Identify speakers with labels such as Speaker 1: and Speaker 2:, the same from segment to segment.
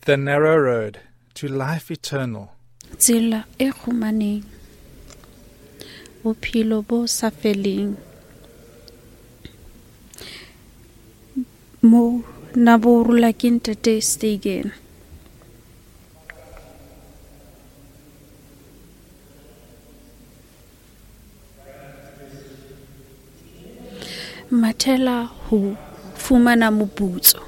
Speaker 1: The narrow road to life eternal.
Speaker 2: Tsela e kgumaneng, bophelo bo sa feleng. Mo na bo rula ke Ntate Stegen. Mathela ho fumana moputso.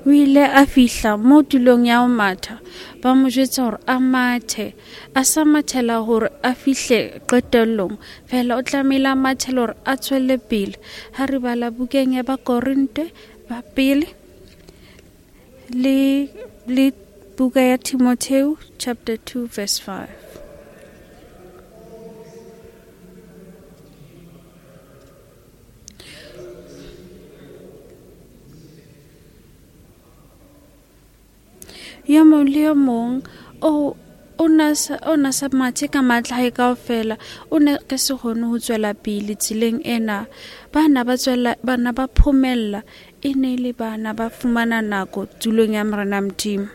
Speaker 2: O ile a fihla mo tulong ya ho matha, ba mo jwetsa hore a mathe. A sa mathela hore a fihle qetellong, fela o tlamehile a mathele hore a tswelle pele. Ha re bala bukeng ya Bakorinte ba pele le buka ya Timotheo chapter 2 verse 5. Yo mong le yo mong o na sa mathe ka matla hae kaofela, o ne ka se kgone ho tswela pele tseleng ena. Bana ba tswela, bana ba phomella, e ne le bana ba fumana nako tulong ya Morena Modimo.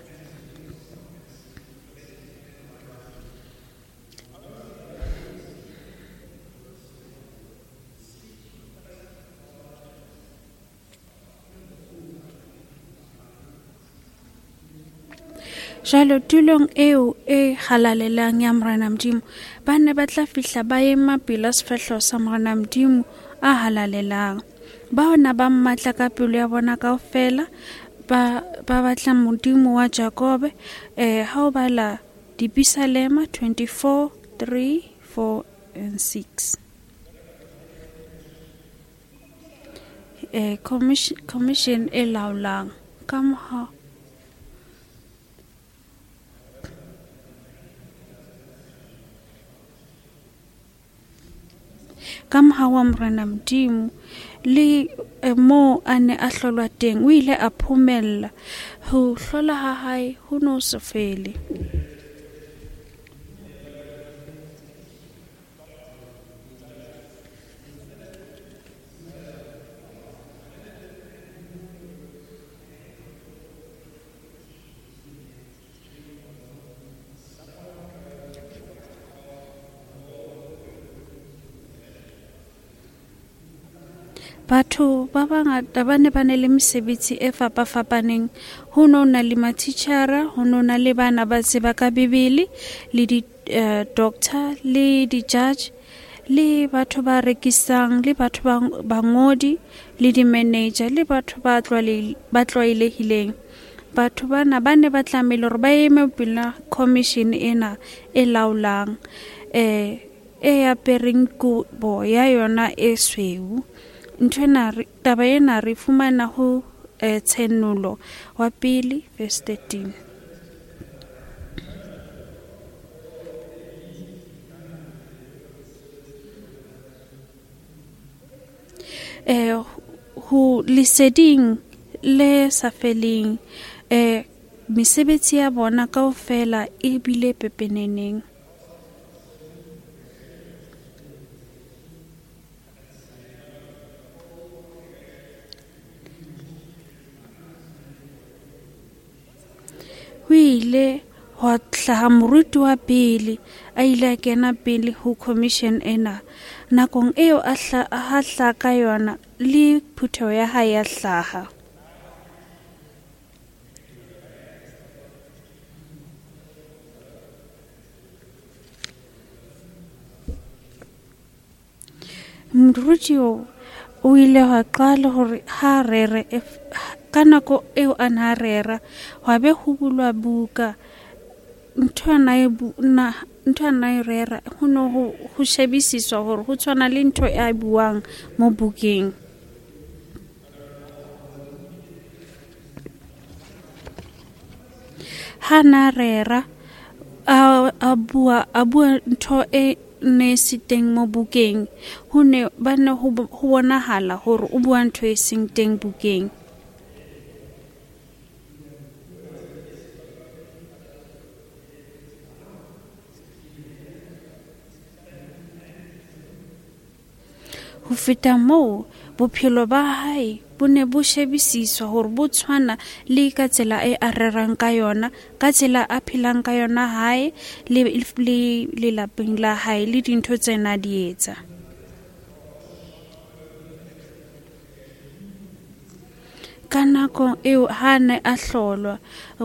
Speaker 2: Jwale tulong eo e halalelang ya Morena Modimo, ba ne ba tla fihla ba ema pela sefahleho sa Morena Modimo a halalelang. Bao na ba mmatla ka pelo ya bona kaofela, ba batla Modimo wa Jakobe. Ha o bala Dipisalema 24, 3, 4 and 6. Commission e laolang ka moha ka moha wa Morena Modimo le mo a ne a hlolwa teng, o ile a phomella. Ho hlola ha hae ho no se fele. Batho ba bangata ba ne ba ne le mesebetsi e fapafapaneng. Ho no na le matitjhara, ho no na le bana ba tseba ka Bibele, le di-doctor, le di-judge, le batho ba rekisang, le batho ba bangodi, le di-manager, le batho ba tlwaelehileng. Batho bana ba ne ba tlamehile hore ba eme pela commission ena e laolang, e apereng kobo ya yona e sweu. Ntho ena taba ena re fumana ho Tshenolo wa pele verse 13. Ho leseding le sa feleng, mesebetsi ya bona kaofela e bile pepeneneng. Ho ile hwa hlaha moruti wa pele, a ile a kena pele ho commission ena. Nakong eo a hlaha ka yona, le phutheho ya hae ya hlaha. Moruti o ile hwa qala hore ha rere ka nako eo a na rera, hwa be ho bulwa buka. Ntho ana e rera ho no ho shebisiswa hore ho tshwana le ntho e buang mo bukeng. Ha na rera a bua ntho e ne se teng mo bukeng, ho ne ba ne ho bonahala hore o bua ntho e seng teng bukeng. Ho feta moo, bophelo ba hae bo ne bo shebisiswa hore bo tshwana le ka tsela e a rerang ka yona, ka tsela a phelang ka yona hae le lelapeng la hae le dintho tsena di etsa. Ka nako eo ha ne a hlolwa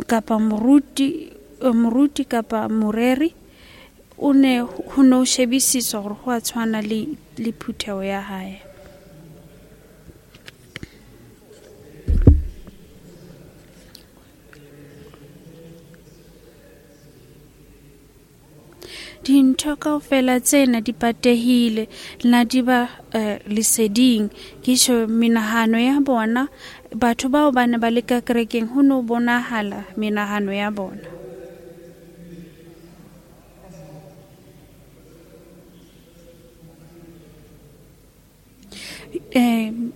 Speaker 2: kapa moruti kapa moreri, o ne ho no shebisiswa hore ho a tshwana le phutheho ya hae. Dintho kaofela tsena di patehile, na di ba leseding. Ke tjho menahano ya bona, batho bao ba ne ba le ka kerekeng ho no bonahala menahano ya bona.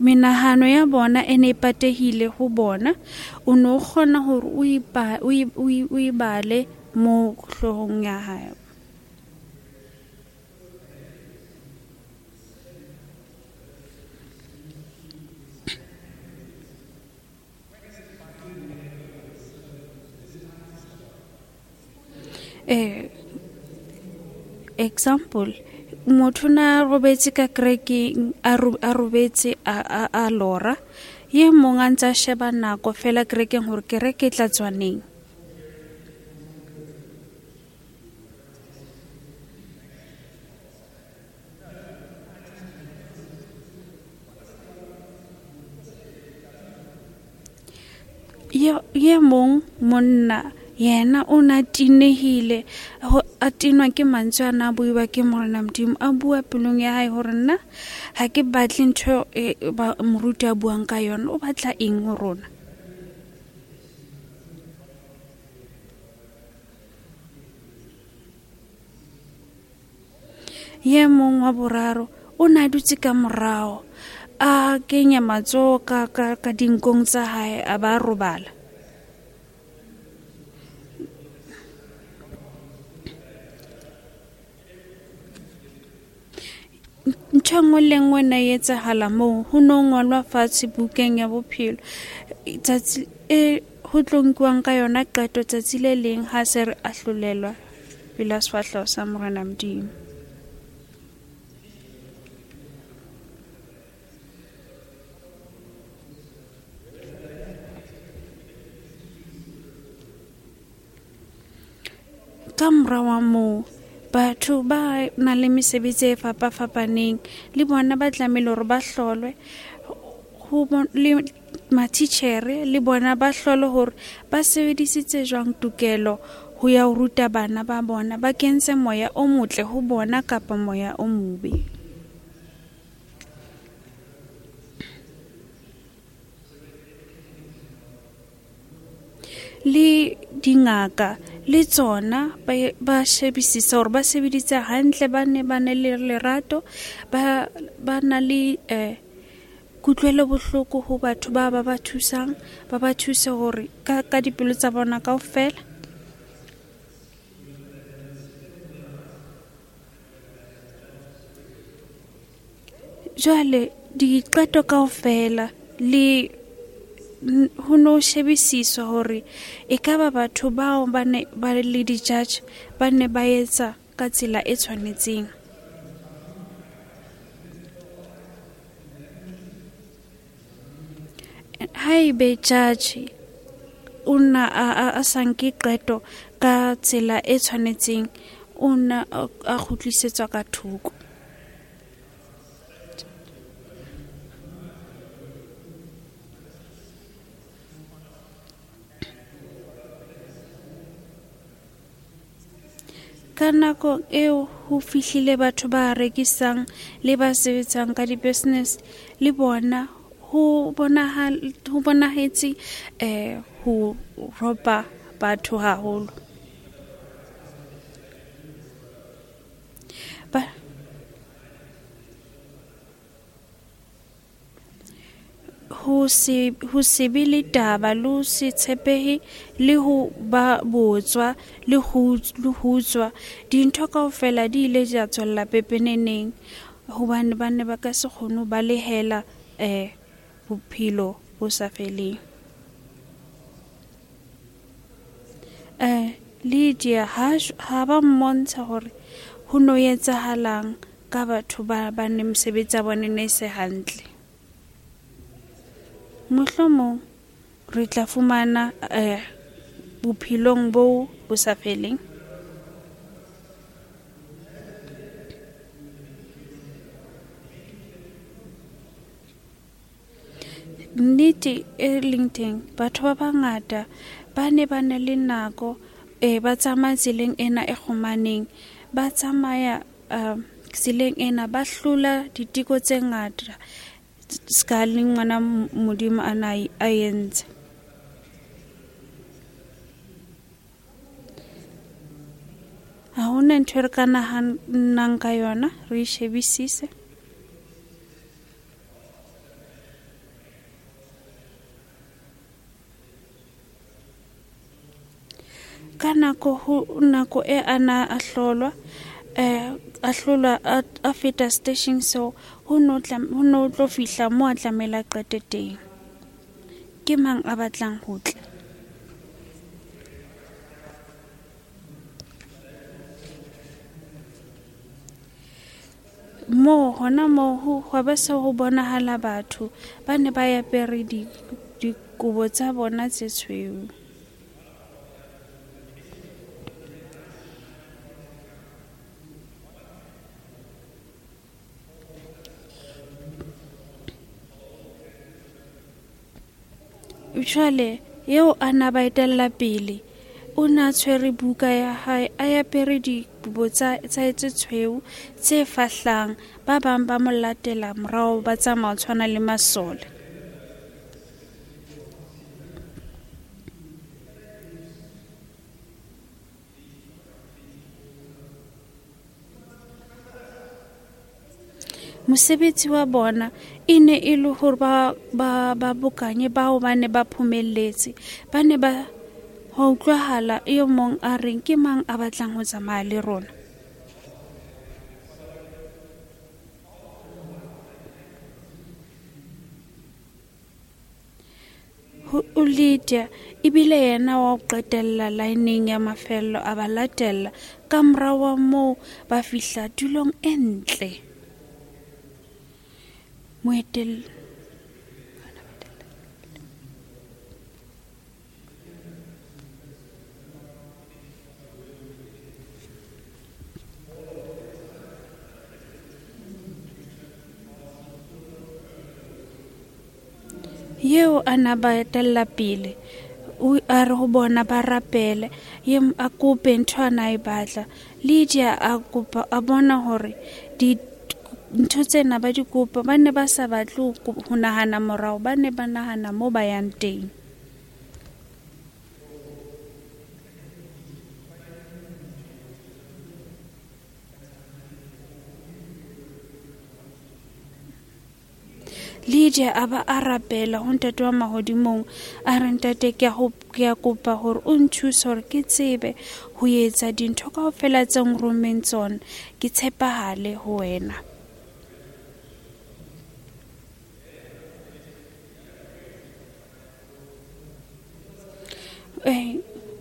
Speaker 2: Menahano ya bona e ne e patehile ho bona, o no kgona hore o e bale mo hloohong ya hae. Example, motho na robetse ka kerekeng, a robetse a lora, ye mong a ntse a sheba nako fela kerekeng hore kereke e tla tswa neng. Ye mong monna yena o na tinehile, a tinwa ke mantswe a na buiwa ke Morena Modimo, a bua pelong ya hae hore nna ha ke batle ntho e moruti a buang ka yona, o batla eng ho rona. Ye mong wa boraro o na dutse ka morao, a kenya matsoho ka dinkong tsa hae, a ba robala. Ntho e nngwe le nngwe ne e etsahala moo, ho no ngolwa fatshe bukeng ya bophelo. Tsatsi e ho tlo nkuwang ka yona qeto tsatsi le leng ha se re ahlolelwa pela sefahleho sa Morena Modimo. Ka mora wa moo, batho ba nang le mesebetsi e fapafapaneng le bona ba tlamehile hore ba hlolwe, le matitjhere le bona ba hlolwe hore ba sebedisitse jwang tokelo ho ya ho ruta bana ba bona, ba kentse moya o motle ho bona kapa moya o mobe. Le dingaka le tsona ba shebisisa hore ba sebeditse hantle, ba ne ba ne le lerato, ba na le kutlwelo bohloko ho batho ba ba thusang, ba ba thuse hore ka dipelo tsa bona kaofela. Jwale diqeto kaofela le ho no shebisiswa hore ekaba batho bao ba ne ba le di-judge ba ne ba etsa ka tsela e tshwanetseng. Haebe judge o na a sa nke qeto ka tsela e tshwanetseng, o na a kgutlisetswa ka thoko. Ka nako eo ho fihlile batho ba rekisang le ba sebetsang ka di-business, le bona ho bonahetse ho ropa batho haholo. Ho se be le taba le ho se tshepehe le ho ba botswa le ho utswa, dintho kaofela di ile tsa tswella pepeneneng. Hobane ba ne ba ka se kgone ho balehela bophelo bo sa feleng. Lydia ha ba mmontsha hore ho no etsahalang ka batho ba ne mesebetsi ya bona ne se hantle. Mohlomong re tla fumana bophelong bo bo sa feleng. Nnete e leng teng, batho ba bangata ba ne ba na le nako ba tsamaya tseleng ena e kgomaneng, ba tsamaya tseleng ena ba hlola diteko tse ngata ska le ngwana Modimo a na a entse. Ha hona ntho e re ka nahanang ka yona, re shebisise. Ka nako e ana a hlolwa a feta station seo, ho no tlo fihla mo a tlamehile a qete teng. Ke mang a batlang ho tla? Moo hona moo ho ba se ho bonahala batho ba ne ba apere dikobo tsa bona tse tshweu. Jwale eo a na ba etella pele o na tshwere buka ya hae, a apere dikobo tsa tse tshweu tse fahlang. Ba bang ba mo latela morao, ba tsamaya tshwana le masole. Mosebetsi wa bona e ne e le hore ba bokanye bao ba ne ba phomelletse. Ba ne ba ho utlwahala e mong a reng ke mang a batlang ho tsamaya le rona. Ho Lydia ebile yena wa ho qetella laeneng ya mafello a ba latella. Ka morao wa moo ba fihla tulong e ntle. Yeo a na ba etella pele o a re ho bona ba rapele, ye a kope ntho a na e batla. Lydia a kopa, a bona hore ntho tsena ba di kopa, ba ne ba sa batle ho nahana morao, ba ne ba nahana mo ba yang teng. Lydia a ba a rapela ho ntate wa mahodimong, a re ntate ke a kopa hore o nthuse hore ke tsebe ho etsa dintho kaofela tse nromeng tsona, ke tshepahale ho wena.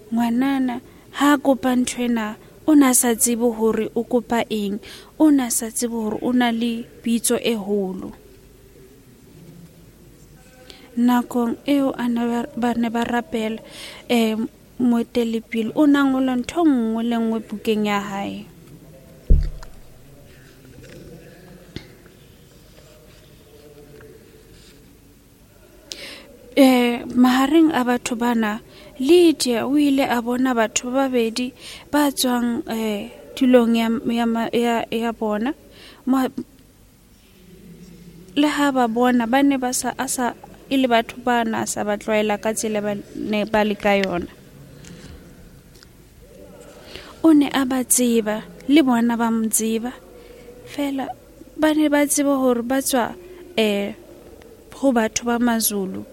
Speaker 2: Ngwanana ha kopa nthwena o na sa tsebe hore o kopa eng, o na sa tsebe hore o na le pitso e holo. Nakong eo a ba ne ba rapela, moetelepele o na ngola ntho nngwe le nngwe bukeng ya hae. Mahareng a batho bana, Lydia o ile a bona batho ba babedi ba tswang tulong ya bona. Le ha ba bona ba ne ba sa asa e le batho ba na sa ba tlwaela ka tsela ba ne ba le ka yona. O ne a ba tseba le bona ba mo tseba, fela ba ne ba tseba hore ba tswa ho batho ba Mazulu,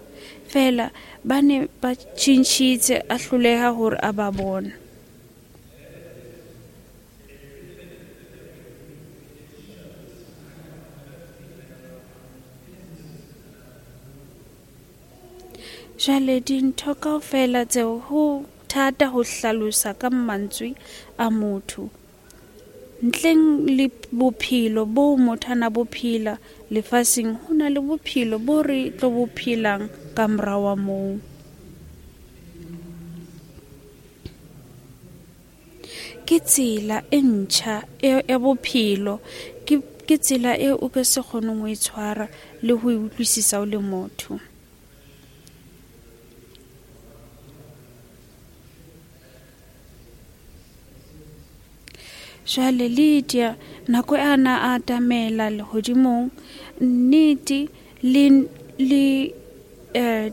Speaker 2: fela ba ne ba tjhintjhitse a hloleha hore a ba bona. Jwale dintho kaofela tseo ho thata ho hlalosa ka mantswe a motho. Ntleng le bophelo bo motho a na bo phela lefatsheng, ho na le bophelo bo re tlo bo phelang ka morao wa moo. Ke tsela e ntjha ya bophelo, ke tsela eo o ka se kgoneng ho e tshwara le ho e utlwisisa o le motho. Jwale Lydia nako e ana a atamela lehodimong, nnete le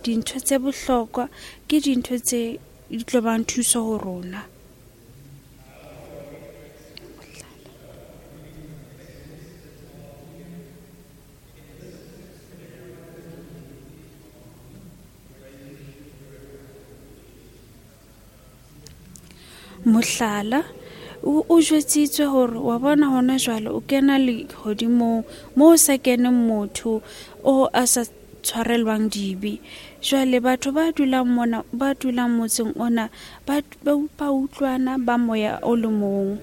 Speaker 2: dintho tse bohlokwa ke dintho tse di tlo bang thuso ho rona. Mohlala, o jwetsitswe hore wa bona hona jwale o kena lehodimong moo o sa keneng motho o a sa tshwarelwang dibe. Jwale batho ba dulang mona, ba dulang motseng ona, ba utlwana ba moya o le mong.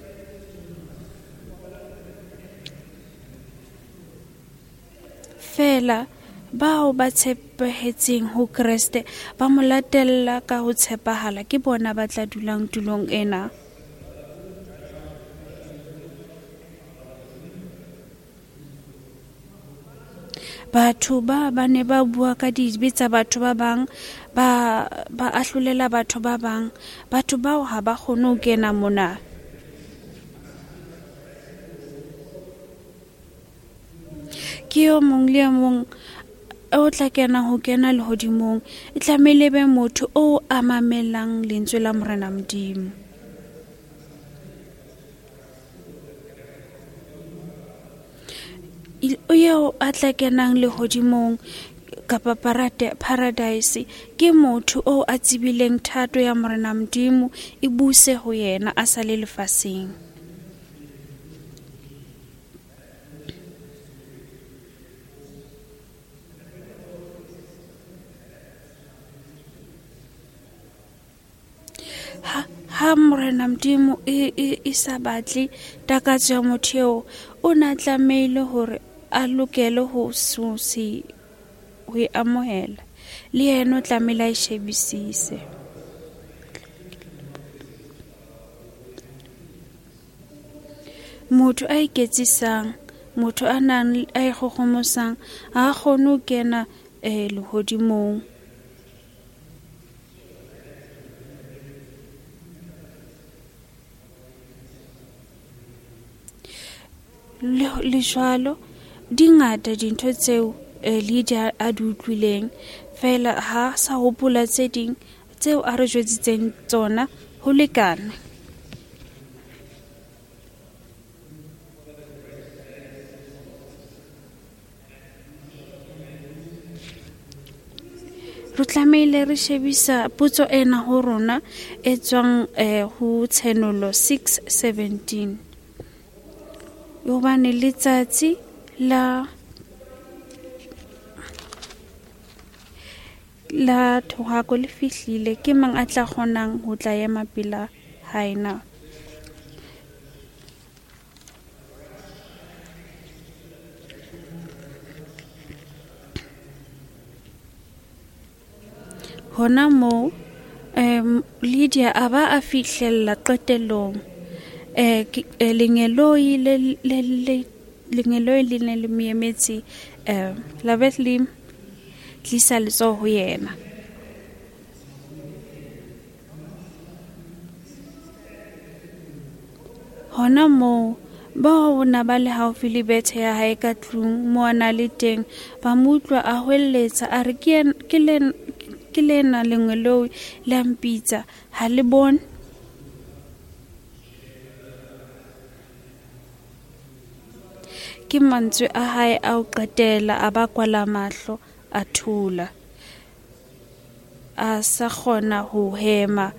Speaker 2: Feela bao ba tshepehetseng ho Kreste, ba mo latella ka ho tshepahala, ke bona ba tla dulang tulong ena. Batho ba ne ba bua ka dibe tsa batho ba bang, ba ahlolela batho ba bang. Batho bao ha ba kgone ho kena mona. Ke yo mong le mong o tla kena ho kena lehodimong, e tlamehile be motho o a mamelang lentswe la Morena Modimo. Eo a tla kenang lehodimong kapa paradise ke motho o a tsebileng thato ya Morena Modimo e buse ho yena a sa le lefatsheng. Ha Morena Modimo e sa batle takatso ya motho eo, o na tlamehile hore a lokele ho e amohela. Le yena o tlamehile a e shebisise. Motho a iketsisang, motho a nang a ikgohomosang, ha kgone ho kena lehodimong. Le jwalo di ngata dintho tseo Lydia a di utlwileng, feela ha sa hopola tse ding tseo a re jwetsitseng tsona ho lekane. Re tlamehile re shebisa potso ena ho rona e tswang ho Tshenolo 6:17. Hobane letsatsi la thohako le fihlile, ke mang a tla kgonang ho tla ema pela hae na? Hona moo Lydia a ba a fihlella qetellong. Lengeloi le ne le mo emetse, la be le tlisa letsoho ho yena. Hona moo bao na ba le haufi le bethe ya hae ka tlung mo a na le teng, ba mo utlwa a hweletsa a re, ke lena lengeloi la mpitsa, ha le bone? Ke mantswe a hae a ho qetela, a ba kwala mahlo, a thola. A sa kgona ho hema,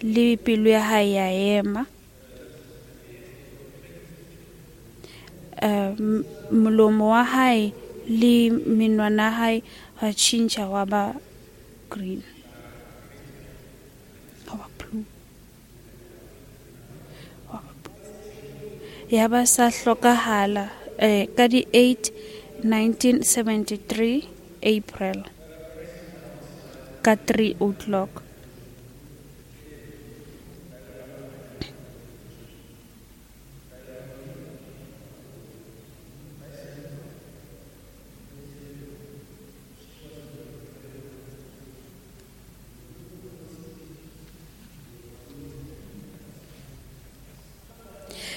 Speaker 2: le pelo ya hae ya ema. Molomo wa hae le menwana ya hae wa tjhentjha wa ba green. Ya ba sa hlokahala ka di 8 1973 April ka 3 o'clock.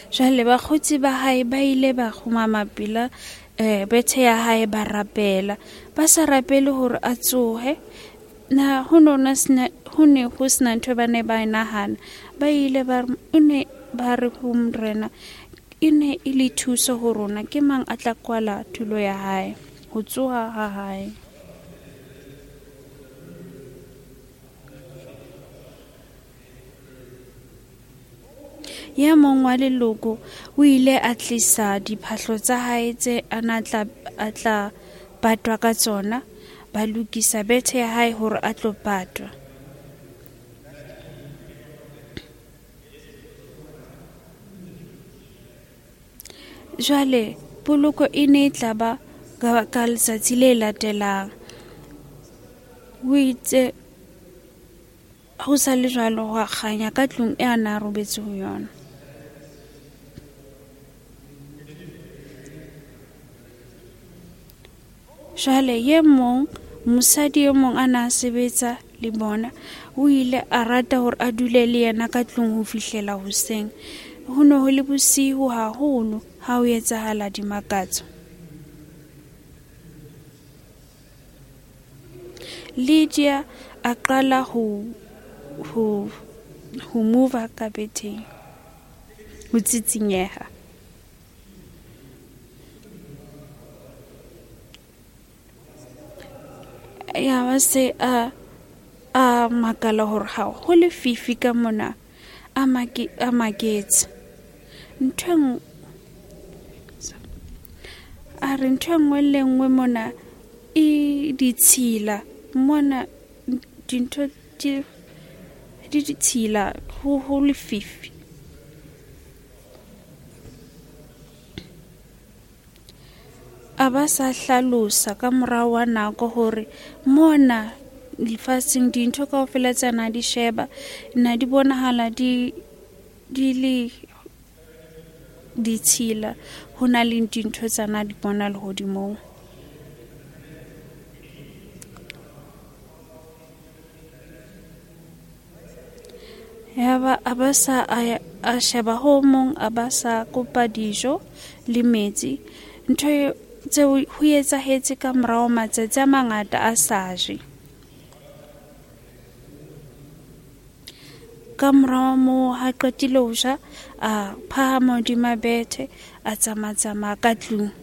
Speaker 2: Jwale bakgotsi ba hae ba ile ba kgumama pela bethe ya hae, ba rapela. Ba sa rapele hore a tsohe. Na ho ne ho sena ntho ba ne ba e nahana. Ba ile ba re ba re ho Morena, e ne e le thuso ho rona, ke mang a tla kwala tulo ya hae, ho tsoha ha hae. Ya mong wa leloko o ile a tlisa diphahlo tsa hae tse a na a tla patwa ka tsona, ba lokisa bethe ya hae hore a tlo patwa. Jwale poloko e ne e tla ba ka letsatsi le latelang. O itse ho sa le jwalo, hwa kganya ka tlung e a na robetse ho yona. Jwale ye mong, mosadi e mong a na sebetsa le bona, o ile a rata hore a dule le yena ka tlung ho fihlela hoseng. Ho ne ho le bosiu haholo ha ho etsahala dimakatso. Lydia a qala ho move ka betheng, ho tsitsinyeha. Ya ba se a makala hore ha ho lefifi ka mona, a maketse. A re ntho e nngwe le nngwe mona e ditshila, mona dintho di ditshila, ho lefifi. A ba sa hlalosa ka morao wa nako hore mona lefatsheng dintho kaofela tsa na di sheba na di bonahala di le ditshila, ho na le dintho tsa na di bona lehodimong. Ya ba a ba sa a sheba ho mong, a ba sa kopa dijo le metsi. Ntho tseo ho etsahetse ka morao matsatsi a mangata a sa je. Ka morao moo ha qetile ho ja, a phahama hodima bethe, a tsamatsamaya ka tlung.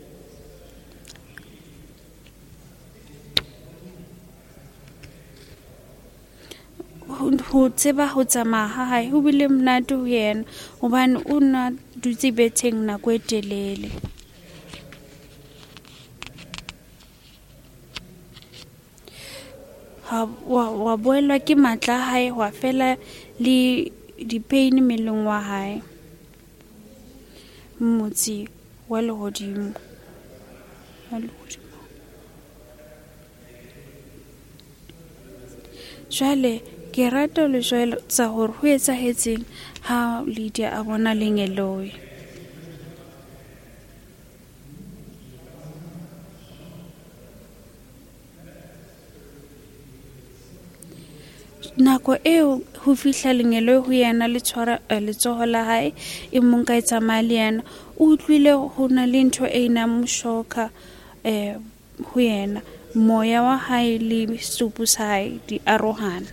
Speaker 2: Ho tseba ho tsamaya ha hae ho bile monate ho yena, hobane o na dutse betheng nako e telele. Wa boelwa ke matla a hae, hwa fela le di-pain mmeleng wa hae. Motse wa lehodimo. Jwale ke rata le jwetsa hore ho etsahetseng ha Lydia a bona lengeloi. Nako eo ho fihla lengeloi ho yena le tshwara letsoho la hae, e mong ka e tsamaya le yena, o utlwile ho na le ntho e nang mo shoka ho yena. Moya wa hae le setupu sa hae di arohana.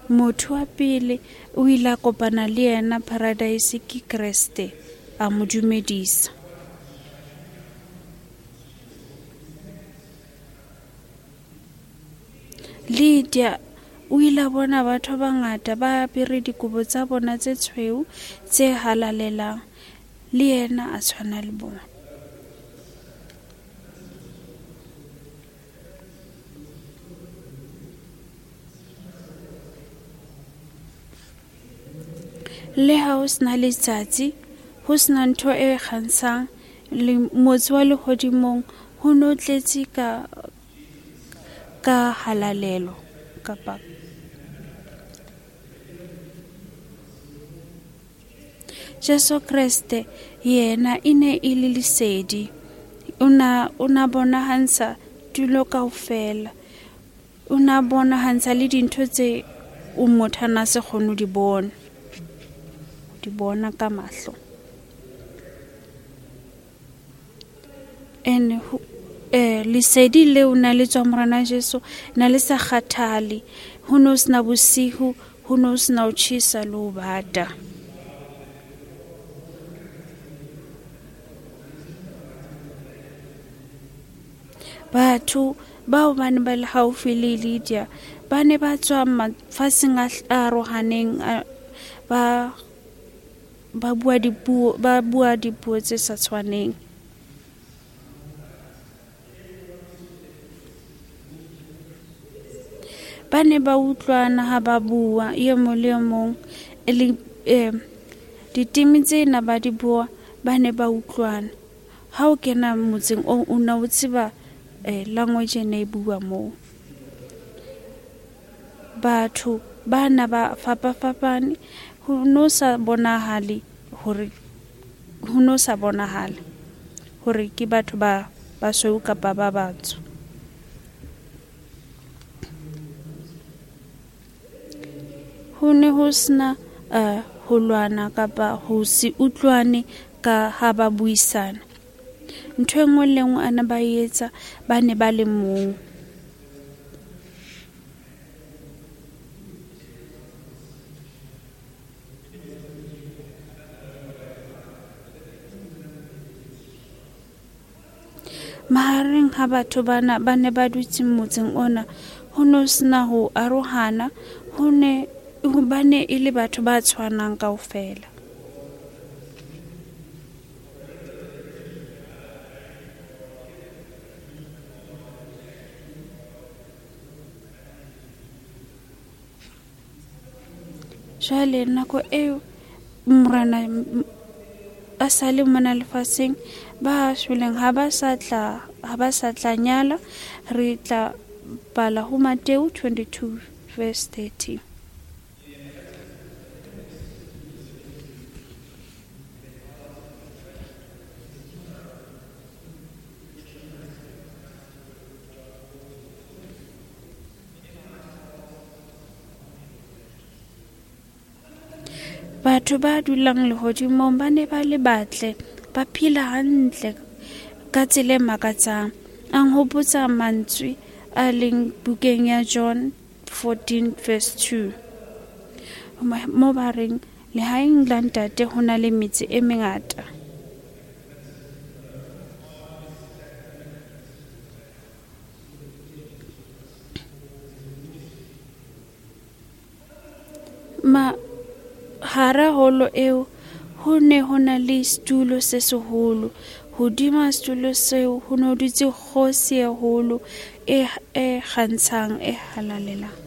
Speaker 2: Motho wa pele o ile a kopana le yena paradise ke Kreste, a mo dumedisa. Lydia o ile a bona batho ba bangata ba apere dikobo tsa bona tse tshweu tse halalelang, le yena a tshwana le bona. Le ha ho sena letsatsi, ho sena ntho e kgantshang, le motse wa lehodimong ho no tletse ka halalelo kapa Jesu Kreste yena e ne e le lesedi. O na bonahantsha tulo kaofela. O na bonahantsha le dintho tse o motho a na se kgone ho di bona. Di bona ka mahlo. And lesedi leo na le tswa Morena Jesu na le sa kgathale. Ho no sena bosihu, ho no sena ho tjhesa le ho bata. Batho bao ba ne ba le haufi le Lydia ba ne ba tswa mafatsheng a arohaneng, ba bua dipuo tse sa tshwaneng. Ba ne ba utlwana ha ba bua e mong le e mong, le diteme tsena ba di bua, ba ne ba utlwana. Ha o kena motseng o na o tseba language e ne e bua moo. Batho ba na ba fapafapane, ho no sa bonahale hore ke batho ba basweu kapa ba batsho. Ho ne ho sena ho lwana kapa ho se utlwane ka ha ba buisana. Ntho e nngwe le nngwe a ne ba etsa, ba ne ba le mong. Mahareng ha batho bana ba ne ba dutse motseng ona, ho no sena ho arohana, ho ne hobane e le batho ba tshwanang kaofela. Jwale nako eo Morena a sa le mona lefatsheng, ba shweleng ha ba sa tla nyala. Re tla bala ho Mateo 22 verse 30. Batho ba dulang lehodimong ba ne ba le batle, ba phela hantle ka tsela e makatsang. A nhopotsa mantswe a leng bukeng ya John 14 verse 2, mo ba reng lehaeng la Ntate ho na le metse e mengata. Hara holo eo ho ne ho na le setulo se seholo. Hodima setulo seo ho no dutse kgosi e holo e kgantshang, e halalelang.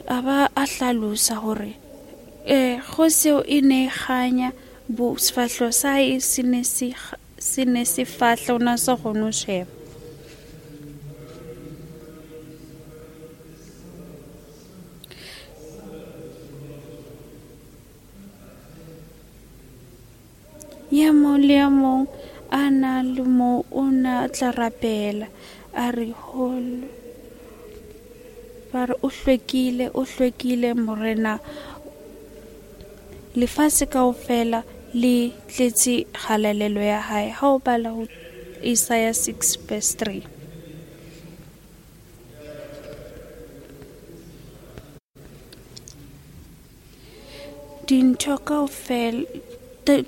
Speaker 2: A ba a hlalosa hore kgosi eo e ne e kganya, sefahleho sa hae se ne se fahla, o na sa kgone ho sheba. Ya mong le ya mong a na le moo o na tla rapela, a re holo, ba re o hlwekile Morena. Lefatshe kaofela le tletse kgalalelo ya hae. Ha o bala ho Isaiah 6 verse 3. Dintho kaofela,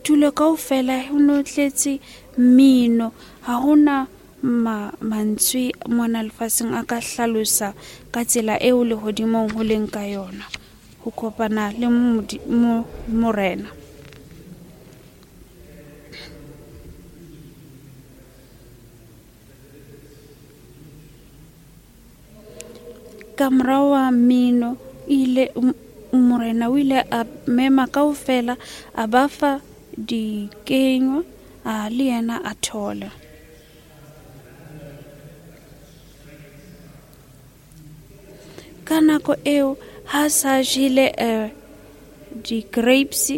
Speaker 2: tulo kaofela ho no tletse mmino. Ha hona mantswe mona lefatsheng a ka hlalosa ka tsela eo lehodimong ho leng ka yona, ho kopana le Morena. Ka morao wa mmino ile morena o ile a mema kaofela, a ba fa dikenywa, a le yena a thola. Ka nako eo ha sa jele di-grapes,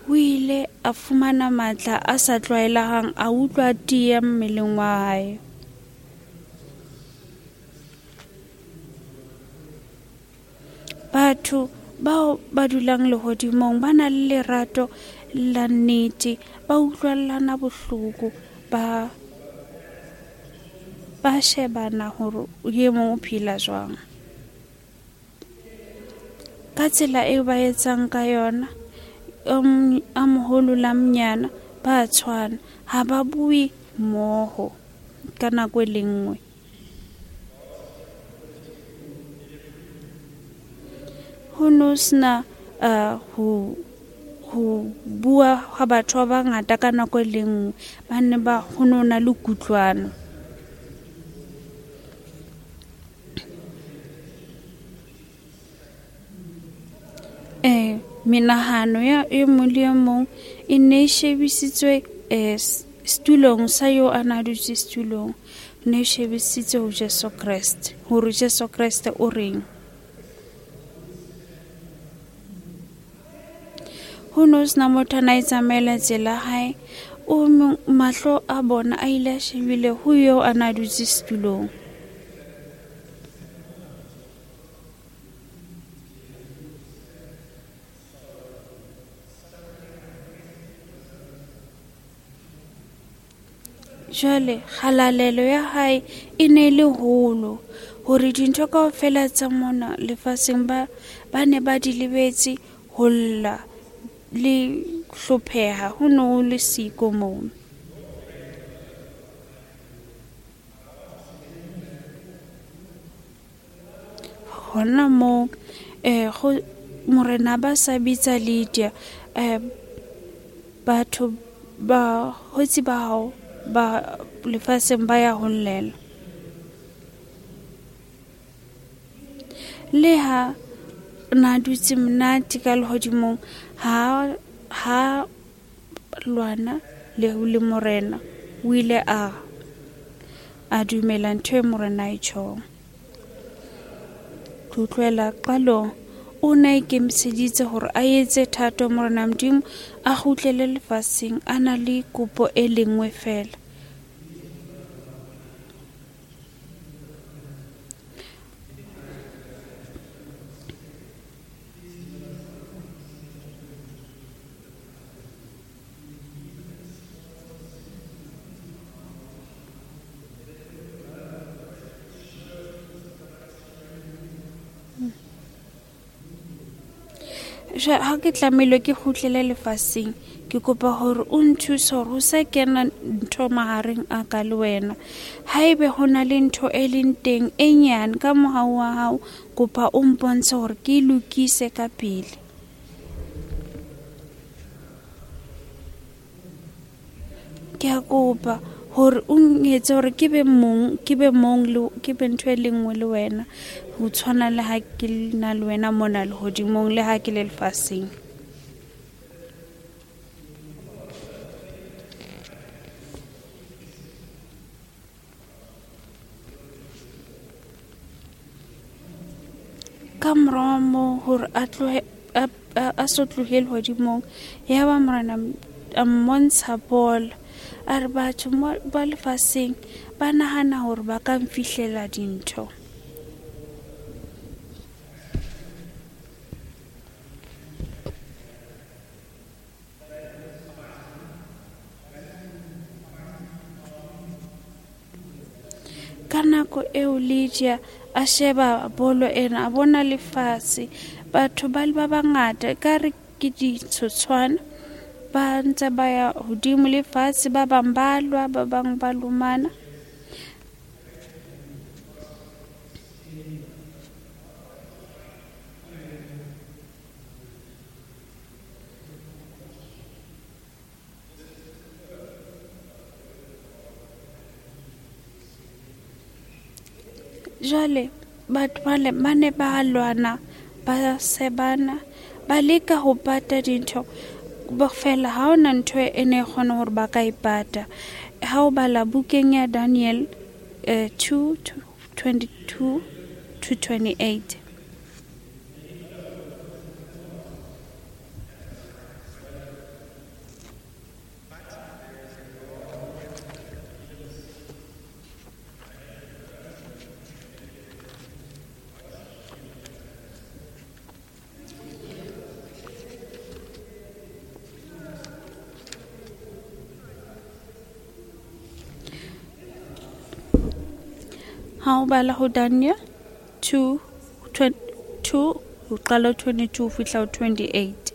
Speaker 2: o ile a fumana matla a sa tlwaelehang, a utlwa tiya mmeleng wa hae. Batho bao ba dulang lehodimong ba na le lerato la nnete, ba utlwellana bohloko, ba shebana hore e mong o phela jwang. Ka tsela eo ba etsang ka yona, a moholo la monyana ba tshwana, ha ba bue mmoho ka nako e le nngwe. Ho no sena ho bua ha batho ba bangata ka nako e le nngwe, ba ne ba ho no na le kutlwano. Menahano ya e mong le e mong e ne e shebisitswe setulong sa eo a na dutse setulong, ne e shebisitswe ho Jesu Kreste, hore Jesu Kreste o reng. Ho no sena motho a na e tsamaela tsela hae, o mahlo a bona a ile a shebile ho eo a na dutse setulong. Jwale kgalalelo ya hae e ne le holo, hore dintho kaofela tsa mona lefatsheng ba ne ba di lebetse, ho lla le hlopheha ho no ho le siko moo. Hona moo morena ba sa bitsa Lydia, batho ba hotsi ba hao ba lefatsheng ba ya ho llela. Le ha na dutse monate ka lehodimong, ha lwana le morena, o ile a dumela ntho e morena e tjhong. Tlotlwela qalong o ne a ikemiseditse hore a etse thato morena Modimo, a kgutlele lefatsheng a na le kopo e lengwe fela. Ha ke tlamehile ke kgutlele lefatsheng, ke kopa hore o nthuse hore ho sa kena ntho mahareng a ka le wena. Haebe ho na le ntho e leng teng e nyane ka mohau wa hao, kopa o mpontshe hore ke e lokise ka pele. Ke a kopa hore o nketse hore ke be mong le ke be ntho e le nngwe le wena, ho tshwana le ha ke na le wena mona lehodimong le ha ke le lefatsheng. Ka morao moo hore a tlohe a so tlohe lehodimong, ya ba morena a mmontsha bolo, a re batho ba lefatsheng ba nahana hore ba ka mfihlela dintho. Ka nako eo Lydia a sheba bolo ena, a bona lefatshe, batho ba le ba bangata ka re ke ditshotshwana, ba ntse ba ya hodimo lefatshe, ba bang ba lwa, ba bang ba lomana. Jwale Batho ba ne ba lwana, ba sebana, ba leka ho pata dintho. Fela ha hona ntho e ne kgona hore ba ka e pata. Ha o bala bukeng ya Daniel 2:22 to 28. Ha o bala ho Daniel 2 ho qala 22 ho fihla ho 28.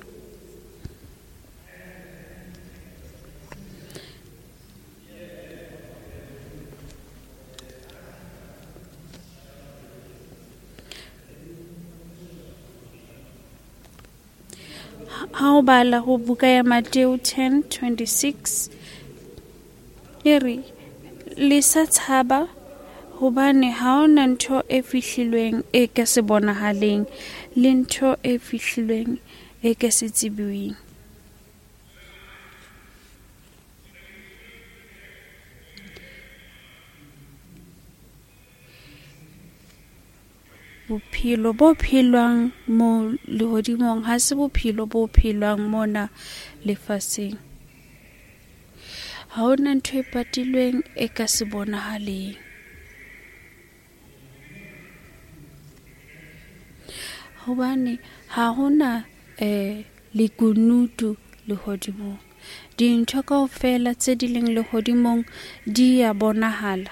Speaker 2: Ha o bala ho buka ya Mateo 10:26 e re le sa tshaba, hobane ha hona ntho e fihlilweng e ka se bonahaleng, le ntho e fihlilweng e ka se tsebiweng. Bophelo bo phelwang mo lehodimong ha se bophelo bo phelwang mona lefatsheng. Ha hona ntho e patilweng e ka se bonahaleng. Hobane ha hona lekunutu lehodimong. Dintho kaofela tse di leng lehodimong di ya bonahala.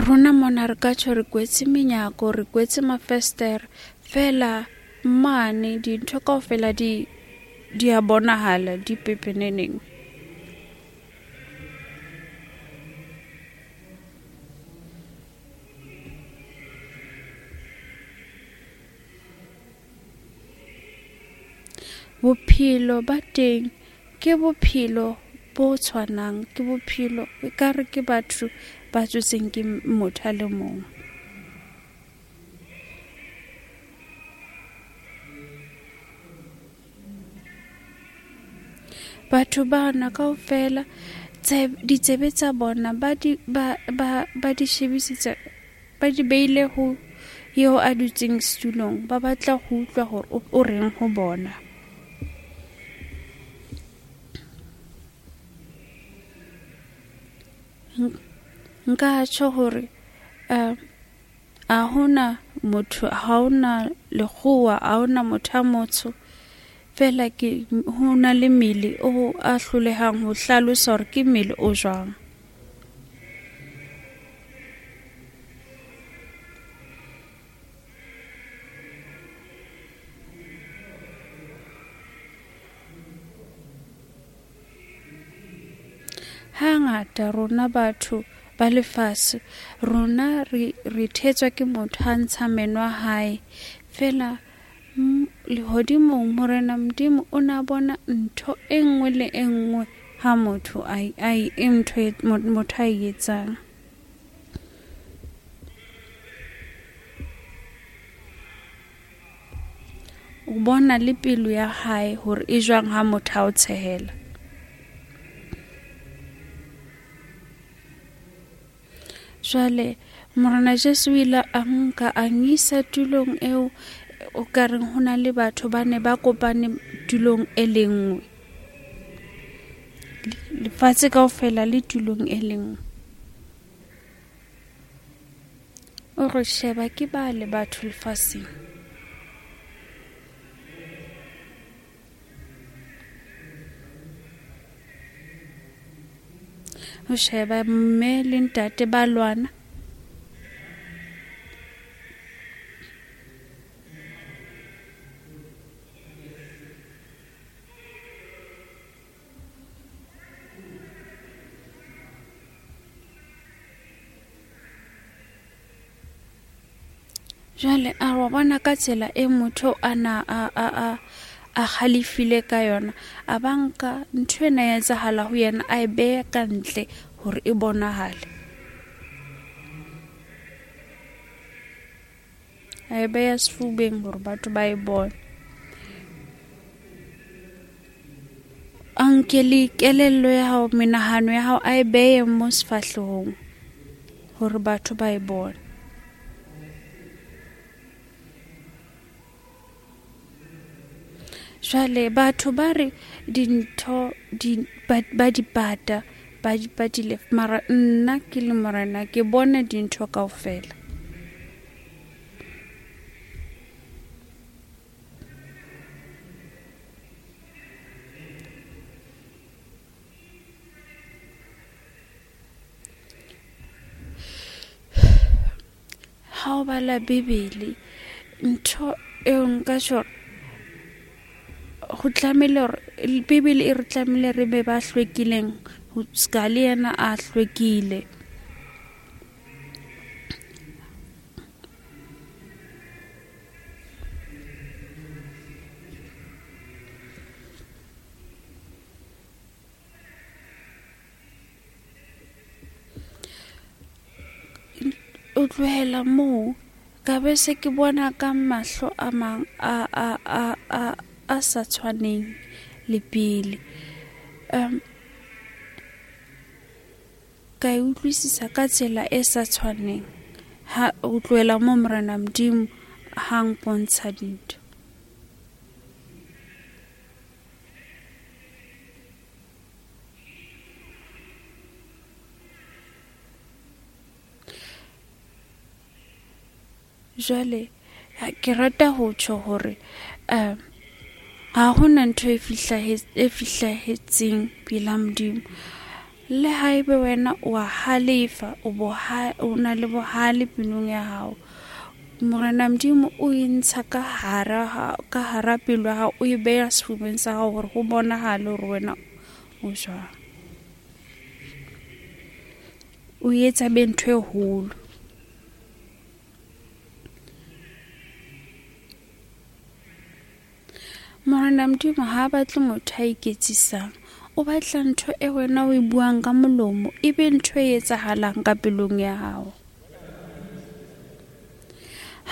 Speaker 2: Rona mona re ka tjho re kwetse menyako, re kwetse mafestere, fela mane dintho kaofela di a bonahala, di pepeneneng. Bophelo ba teng ke bophelo bo tshwanang, ke bophelo ekare ke batho ba tswetseng ke motho a le mong. Batho bana kaofela ditsebe tsa bona ba di shebisitse, ba di beile ho eo a dutseng setulong, ba batla ho utlwa hore o reng ho bona. Nka tjho hore ha hona motho, ha hona lekgowa, ha hona motho a motsho, fela ke ho na le mmele o a hlolehang ho hlalosa hore ke mmele o jwang. Hangata rona batho ba lefatshe, rona re thetswa ke motho a ntsha meno a hae, fela lehodimong Morena Modimo o na bona ntho e nngwe le e nngwe ha motho a motho a e etsang. O bona le pelo ya hae hore e jwang ha motho a o tshehela. Jwale Morena Jesu o ile a nka a nkisa tulong eo o ka reng ho na le batho ba ne ba kopane tulong e le nngwe. Lefatshe kaofela le tulong e le nngwe. O re sheba ke ba le batho lefatsheng. O sheba mme le ntate ba lwana. Jwale a wa bona ka tsela e motho a na a halefile ka yona, a ba nka ntho ena ya etsahala ho yena, a e beha ka ntle hore e bonahale. A e beha sefubeng hore batho ba e bone. A nke le kelello ya hao, menahano ya hao, a e behe mo sefahlehong hore batho ba e bone. Jwale batho ba re dintho ba di pata, ba di patile, mara nna ke le Morena ke bona dintho kaofela. Ha o bala Bibele, ntho eo nka tjho ho tlamehile hore Bibele e re tlamehile re be ba hlwekileng, ho ska le yena a hlwekile. O tlohela moo ka be se ke bona ka mahlo a mang a sa tshwaneng le pele. Ka e utlwisisa ka tsela e sa tshwaneng ha o tlohela moo Morena Modimo ha mpontsha dintho. Jwale ke rata ho tjho hore ha hona ntho e fihlahetseng pela Modimo. Le haebe wena o a halefa, o na le bohale pelong ya hao, Morena Modimo o e ntsha ka hara pelo ya hao, o e beha sefubeng sa hao hore ho bonahale hore wena o jwang. O etsa be ntho e holo. Morena Modimo ha batle motho a iketsisang, o batla ntho e wena o e buang ka molomo e be ntho e etsahalang ka pelong ya hao.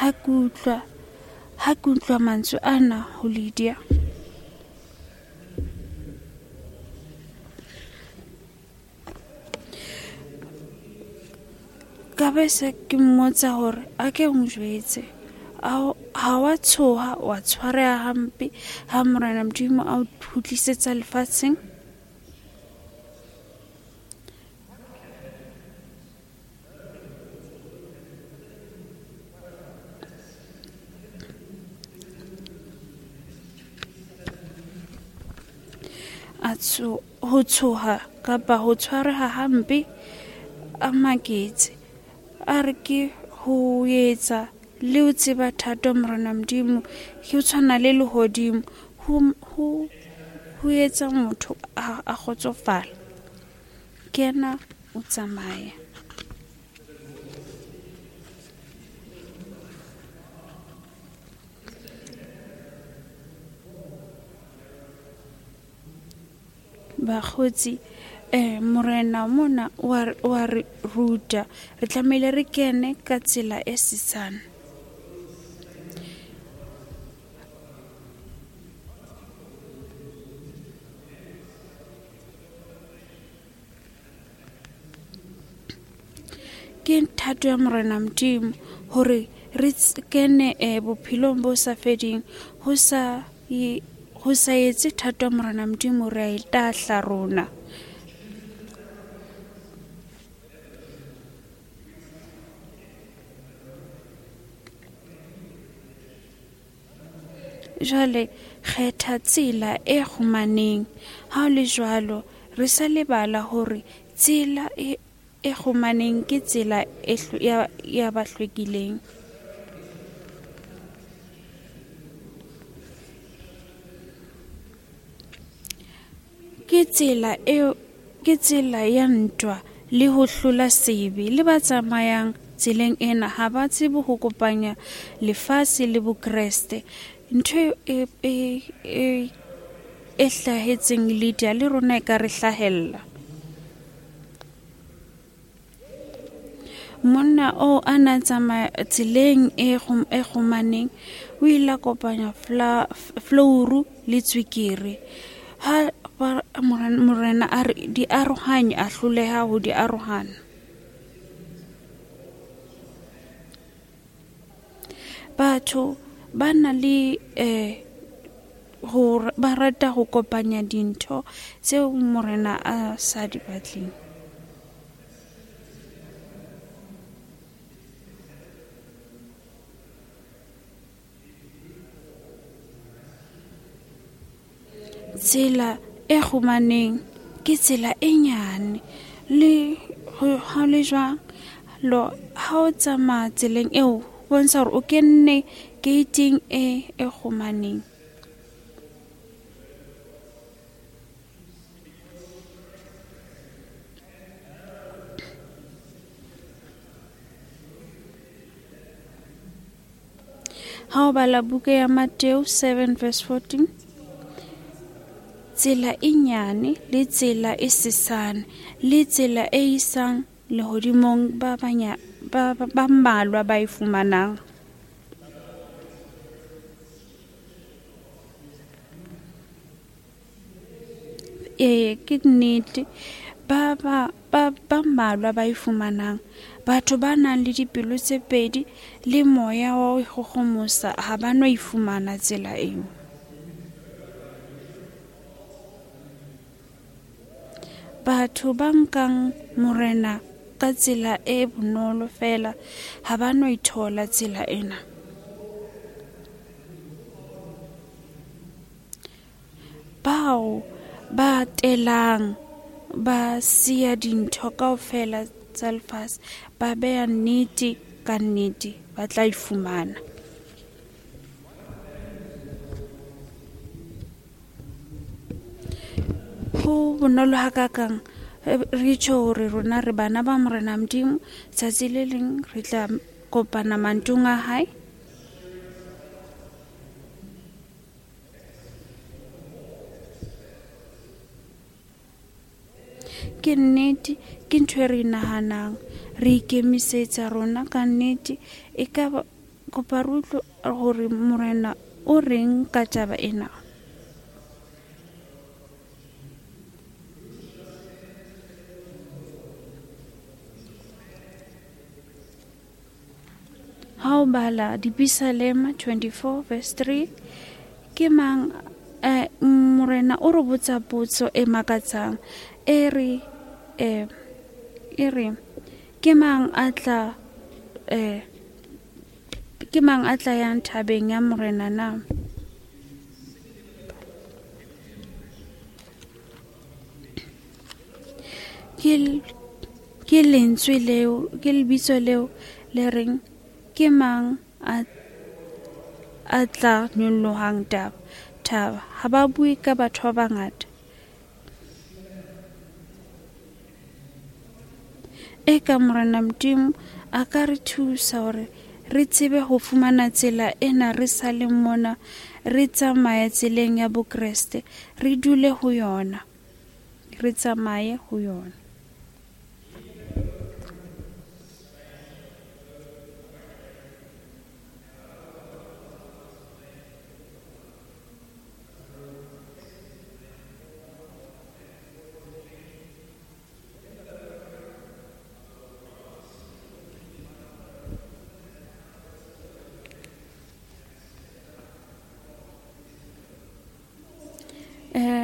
Speaker 2: Ha ke utlwa mantswe ana ho Lydia, ka be se ke mmotsa hore a ke o njwetse, ha wa tshoha, wa tshwareha hampe ha Morena Modimo a o kgutlisetsa lefatsheng? Ho tshoha kapa ho tshwareha hampe a maketse, a re ke ho etsa le ho tseba thato Morena Modimo ke ho tshwana le lehodimo, ho etsa motho a kgotsofala. Ke yena o tsamaya. Bakgotsi, Morena mona wa re ruta, re tlamehile re kene ka tsela e sesane. Ke thato ya Morena Modimo hore re kene bophelong bo sa feding, ho sa etse thato ya Morena Modimo re a e tahla rona. Jwale kgetha tsela e kgumaneng. Ha o le jwalo, re sa lebala hore tsela e kgumaneng ke tsela ya ba hlwekileng. Ke tsela ya ntwa le ho hlola sebe le ba tsamayang tseleng ena ha ba tsebe ho kopanya lefatshe le Bokreste. Ntho e hlahetseng Lydia le rona e ka re hlahella. Monna o a na tsamaya tseleng e kgomaneng, o ile a kopanya flouru le tswekere. Ha morena a re di arohanye, a hloleha ho di arohana. Batho ba na le ba rata ho kopanya dintho tseo morena a sa di batleng. Tsela e kgomaneng ke tsela e nyane, le ha le jwang lo ha o tsamaya tseleng eo bontsha hore o kenne gating e kgomaneng. Ha o bala buka ya Mateo 7 verse 14, tsela e nyane le tsela e sesane le tsela e isang lehodimong ba mmalwa ba e fumanang. Ke nnete, ba mmalwa ba e fumanang. Batho ba nang le dipelo tse pedi le moya wa ho ikgohomosa ha ba no e fumana tsela eo. Batho ba nkang morena ka tsela e bonolo fela ha ba no ithola tsela ena. Bao ba telang ba siya dintho kaofela tsa lefatshe, ba beha nnete ka nnete, ba tla e fumana. Ho bonolo hakakang re tjho hore rona re bana ba morena Modimo, tsatsi le leng re tla kopana mantong a hae. Ke nnete, ke ntho e re nahanang, re ikemisetsa rona ka nnete. E ka kopa re utlwe hore morena o reng ka taba ena. Ha o bala Dipisalema 24 verse 3, ke mang morena o re botsa potso e makatsang, e re ke mang a tla yang thabeng ya morena na? Ke lentswe leo, ke lebitso leo le reng ke mang a tla nyolohang thaba. Ha ba bue ka batho ba bangata. Eka morena Modimo a ka re thusa hore re tsebe ho fumana tsela ena re sa le mona, re tsamaye tseleng ya Bokreste, re dule ho yona, re tsamaye ho yona.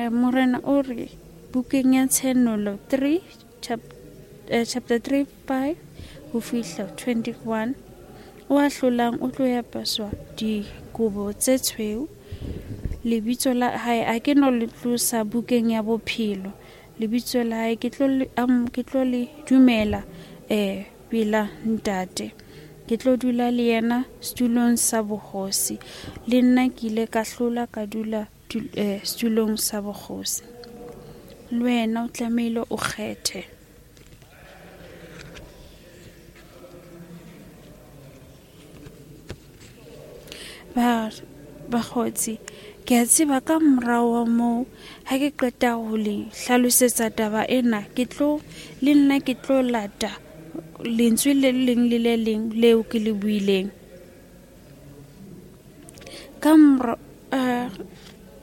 Speaker 2: Morena o re bukeng ya Tshenolo 3 chapter 3 5 ho fihla 21, o a hlolang o tlo apeswa dikobo tse tshweu. Lebitso la hae a ke no le tlosa bukeng ya bophelo. Lebitso la hae ke tlo le dumela pela ntate. Ke tlo dula le yena setulong sa bogosi. Le nna ke ile ka hlola ka dula setulong sa bogosi. Le wena o tlamehile o kgethe. Bakgotsi, ke a tseba ka morao wa moo ha ke qeta ho le hlalosetsa taba ena, ke tlo le nna ke tlo lata lentswe le leng le le leng leo ke le buileng. Ka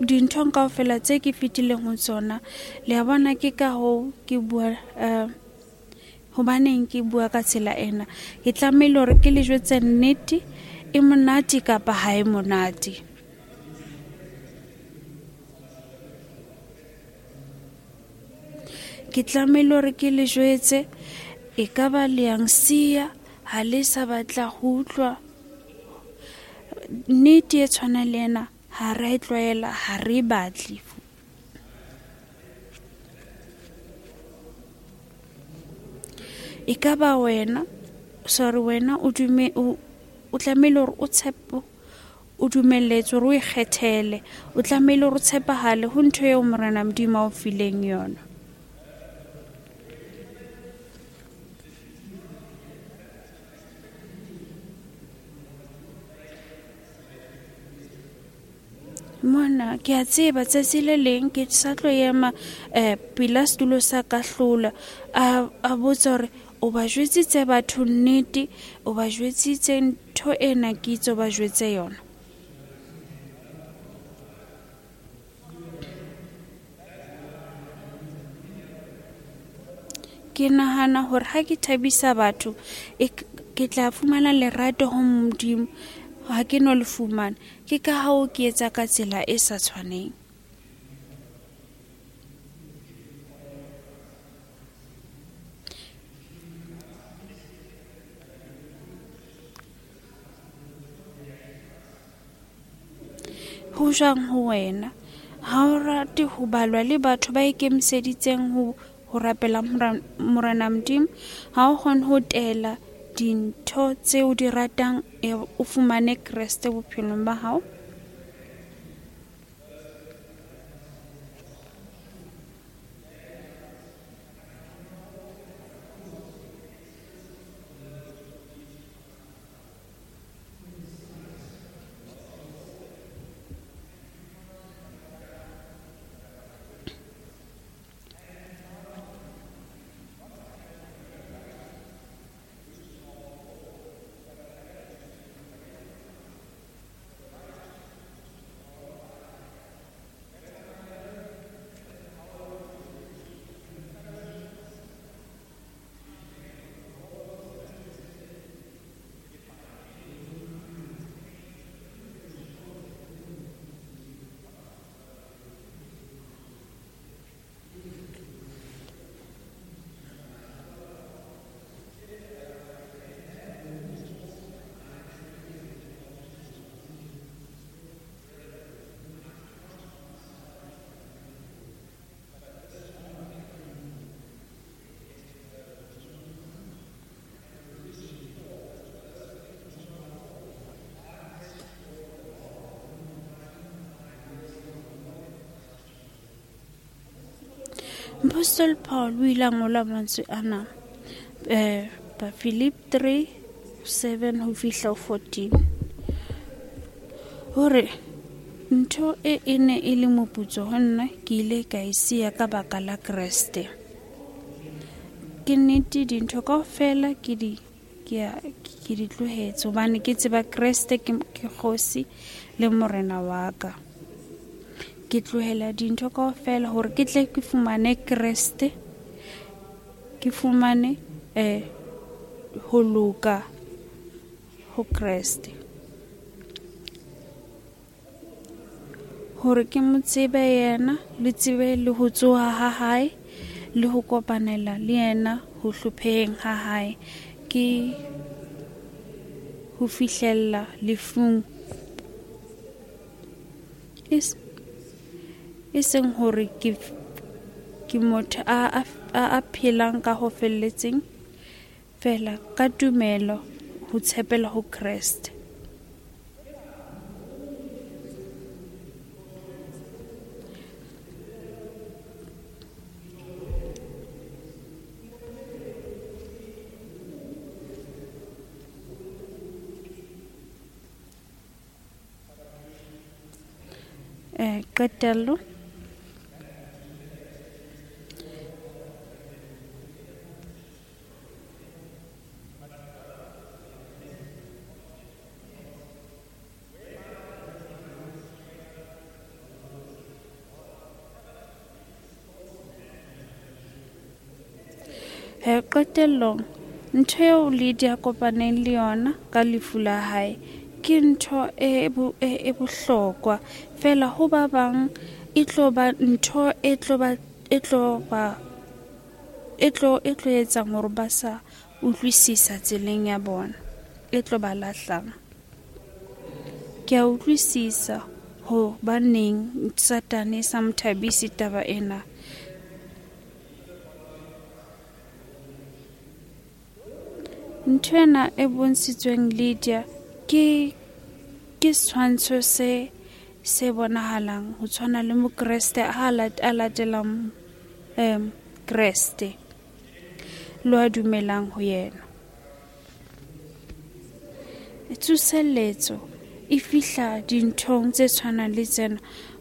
Speaker 2: dinthong kaofela tse ke fetileng ho tsona, le a bona ke ka hoo ke bua hobaneng ke bua ka tsela ena. Ke tlamehile hore ke le jwetse nnete, e monate kapa ha e monate. Ke tlamehile hore ke le jwetse, e ka ba le yang siya, ha le sa batla ho utlwa nnete e tshwana le ena, ha re e tlwaela, ha re e batle. E ka ba wena, sorry, wena o o tlamehile hore o tshepe, o dumelletswe hore o ikgethele, o tlamehile hore o tshepahale ho ntho eo Morena Modimo a o fileng yona. Mona ke a tseba tsatsi le leng ke sa tlo ema pela setulo sa kahlola, a botsa hore o ba jwetsitse batho nnete, o ba jwetsitse ntho ena ke itse o ba jwetse yona. Ke nahana hore ha ke thabisa batho, ke tla fumana lerato ho Modimo, ha ke no le fumana. Ke ka hoo ke etsa ka tsela e sa tshwaneng. Ho jwang ho wena? Ha o rate ho balwa le batho ba ikemiseditseng ho rapela Morena Modimo, ha o kgone ho tela dintho tseo di ratang, o fumane Kreste bophelong ba hao. Apostle Paul o ile a ngola mantswe ana, Philip 3:7 ho fihla 14, hore ntho e ne e le moputso ho nna, ke ile ka e siya ka baka la Kreste. Ke nnete dintho kaofela ke di tlohetse, hobane ke tseba Kreste ke kgosi le morena wa ka. Ke tlohela dintho kaofela hore ke tle ke fumane Kreste, ke fumane ho loka ho Kreste, hore ke mo tsebe yena, le tsebe le ho tsoha ha hae, le ho kopanela le yena ho hlopheheng ha hae, ke ho fihlella lefung, e seng hore ke motho a phelang ka ho felletseng fela ka tumelo ho tshepela ho Kreste. Qetello. Qetellong, ntho eo Lydia kopaneng le yona ka lefu la hae ke ntho e bohlokwa fela ho ba bang e tlo ba ntho e tlo etsang hore ba sa utlwisisa tseleng ya bona, e tlo ba lahlang. Ke a utlwisisa hobaneng Satane sa mo thabise taba ena. Ntho ena e bontshitsweng Lydia ke setshwantsho se bonahalang ho tshwana le Mokreste a latelang Kreste le a dumelang ho yena. Tsoseletso e fihla dinthong tse tshwanang le tsena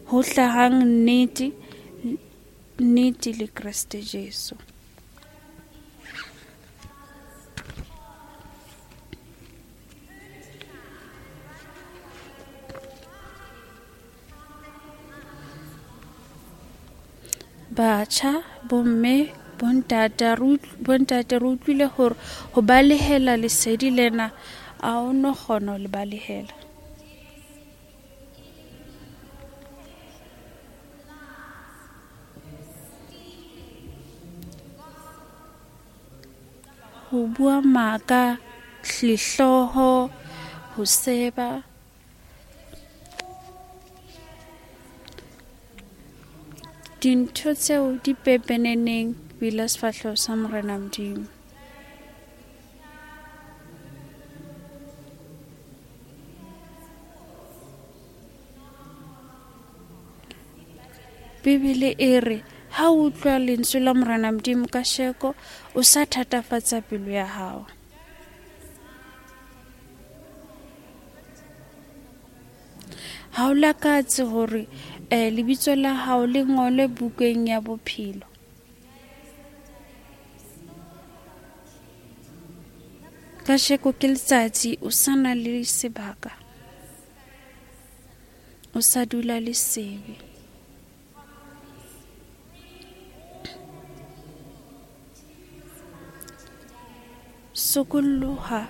Speaker 2: ho hlahang nnete le Kreste Jesu. Batjha, bomme, bontate re utlwile hore ho balehela lesedi lena a o no kgona ho le balehela. Ho bua maka, lehloho, ho seba. Dintho tseo di pepeneneng pela sefahleho sa Morena Modimo. Bibele e re ha o utlwa lentswe la Morena Modimo ka sheko, o sa thatafatsa pelo ya hao. Ha o lakatse hore lebitso la hao le ngolwe bukeng ya bophelo. Kasheko ke letsatsi o sa na le sebaka, o sa dula le sebe. Sokoloha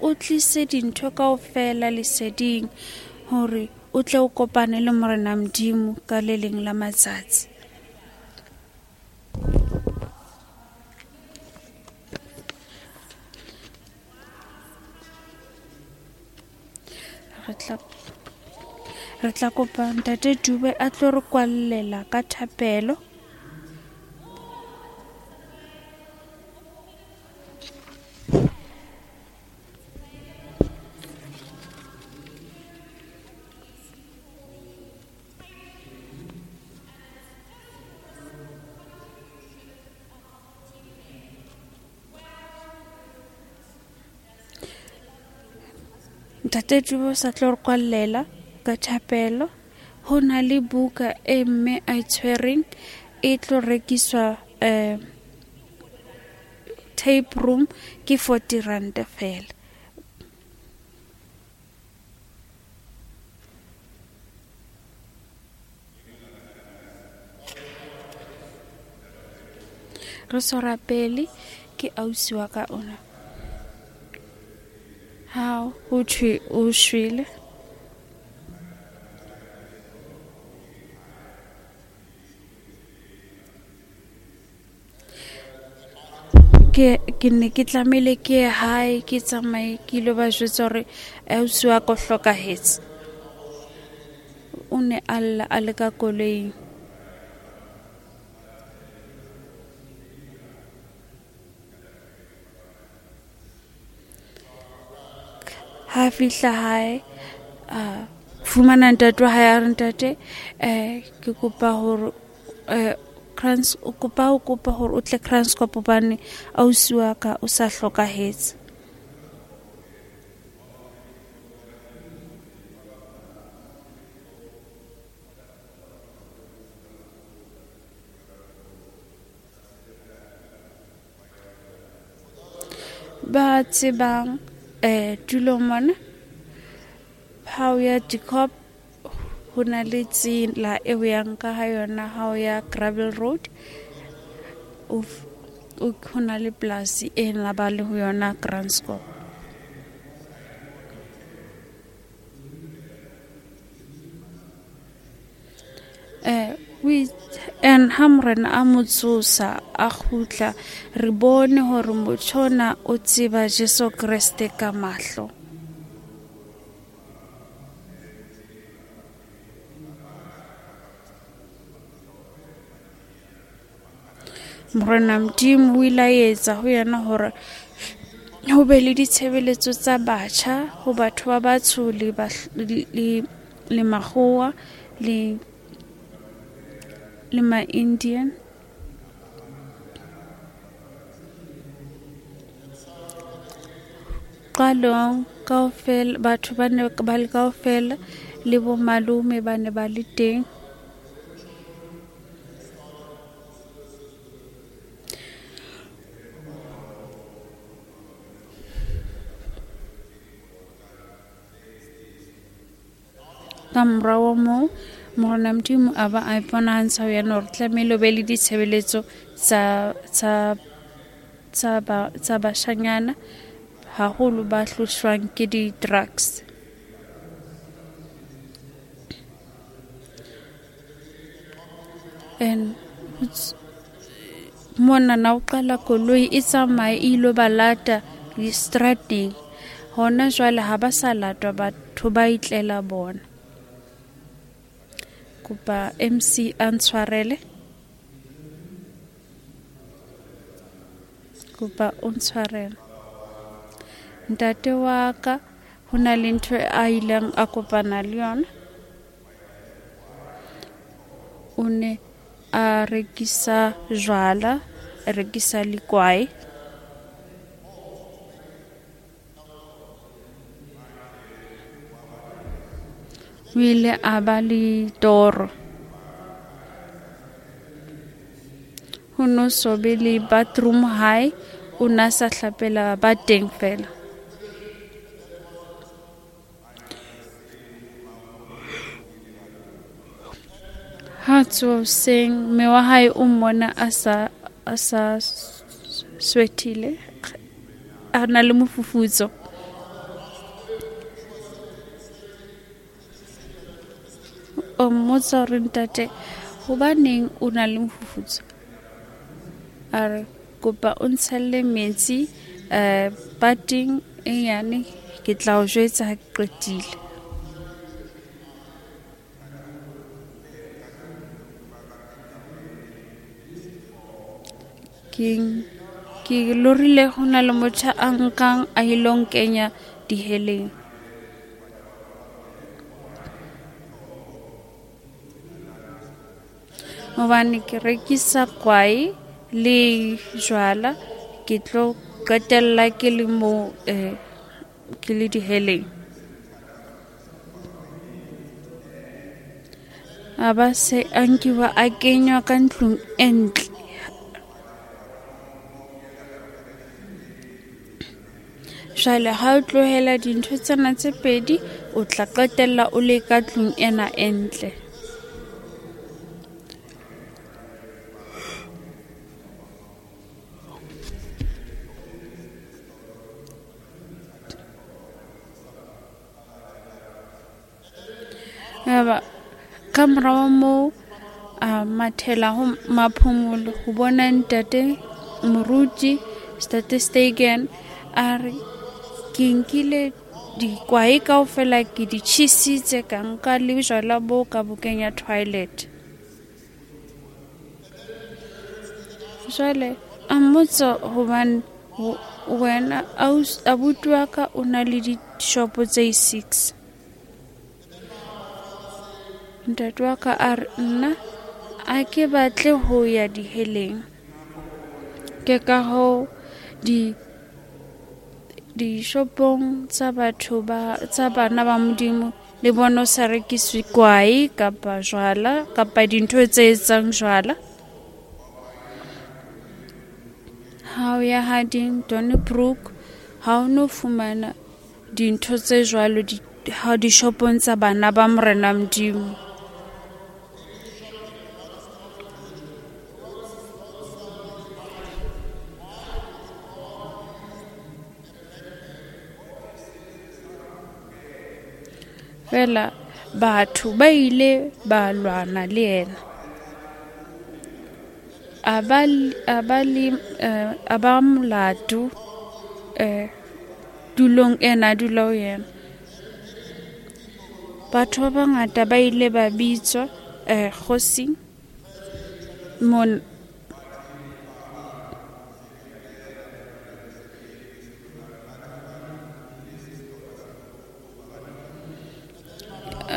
Speaker 2: o tlise dintho kaofela leseding hore o tle o kopane le Morena Modimo ka le leng la matsatsi. Re tla kopa Ntate Dube a tlo re kwallela ka thapelo. Ntate Dube o sa tlo re kwallela ka thapelo. Ho na le buka e mme a itshwereng e tlo rekiswa tape room ke 40 rand fela. Re so rapele ke ausi wa ka ona. Ha ho thwe o shwele. Ke ne ke tlamehile ke ye hae, ke tsamaye ke ilo ba jwetsa hore ausi wa ka o hlokahetse. O ne a lla a le ka koloing. Ha fihla hae, a fumana ntate wa hae, a re ntate, ke kopa hore o kopa hore o tle Kranskop hobane ausi wa ka o sa hlokahetse. Ba tsebang tulong mona, ha o ya Dikop ho na le tsela e o yang ka ha yona, ha o ya Gravel Road, ho na le polasi e na ba le ho yona Kranskop. And ha morena a mo tsosa a kgutla, re bone hore motho ona o tseba Jesu Kreste ka mahlo. Morena Modimo o ile a etsa ho yena hore ho be le ditshebeletso tsa batjha ho batho ba batsho le makgowa le ma-Indian. Qalong kaofela batho ba ne ba le kaofela le bo malome ba ne ba le teng. Ka morao moo Morena Modimo a ba a iponahantsha ho yena hore tlamehile o be le ditshebeletso tsa bashanyana haholo ba hlohlwang ke di-drugs. And mona na o qala koloi e tsamaye e ilo ba lata distrateng. Hona jwale ha ba sa latwa, batho ba itlela bona. Kopa MC a ntshwarele. Kopa o ntshwarele. Ntate wa ka ho na le ntho a ileng a kopana le yona. O ne a rekisa jwala, a rekisa le kwae. O ile a ba le toro. Ho no so be le bathroom hae, o na sa hlapela ba teng fela. Ha tsoha hoseng, mme wa hae o mmona a sa sweatile, a na le mofufutso. O mmotsa hore ntate, hobaneng o na le mofufutso? A re kopa o ntshelle metsi pateng e nyane, ke tla o jwetsa ha ke qetile. Ke lorile ho na le motho a nkang a ilo nkenya diheleng. Hobane ke rekisa kwae le jwala, ke tlo qetella ke le mo ke le diheleng. A ba se a nkiwa a kenywa ka ntlong e ntle. Jwale ha o tlohela dintho tsena tse pedi, o tla qetella o le ka tlung ena e ntle. Yaba ka morao moo a mathela ho Maphumulo ho bona ntate moruti Ntate Stegen, a re ke nkile dikwae kaofela ke di tjhisitse, ka nka le jwala bo ka bo kenya toilet. Jwale a mmotsa hobane wena abuti wa ka o na le dishopo tse 6. Ntate wa ka a re nna a ke batle ho ya diheleng. Ke ka hoo dishopong tsa batho ba tsa bana ba Modimo le bona o sa rekiswe kwae kapa jwala kapa dintho tse etsang jwala. Ha o ya Harding, Donnybrook, Ha o no fumana dintho tse jwalo ha dishopong tsa bana ba Morena Modimo. Fela batho ba ile ba lwana le yena. A ba molato tulong ena a dula ho yena. Batho ba bangata ba ile ba bitswa kgosing mon.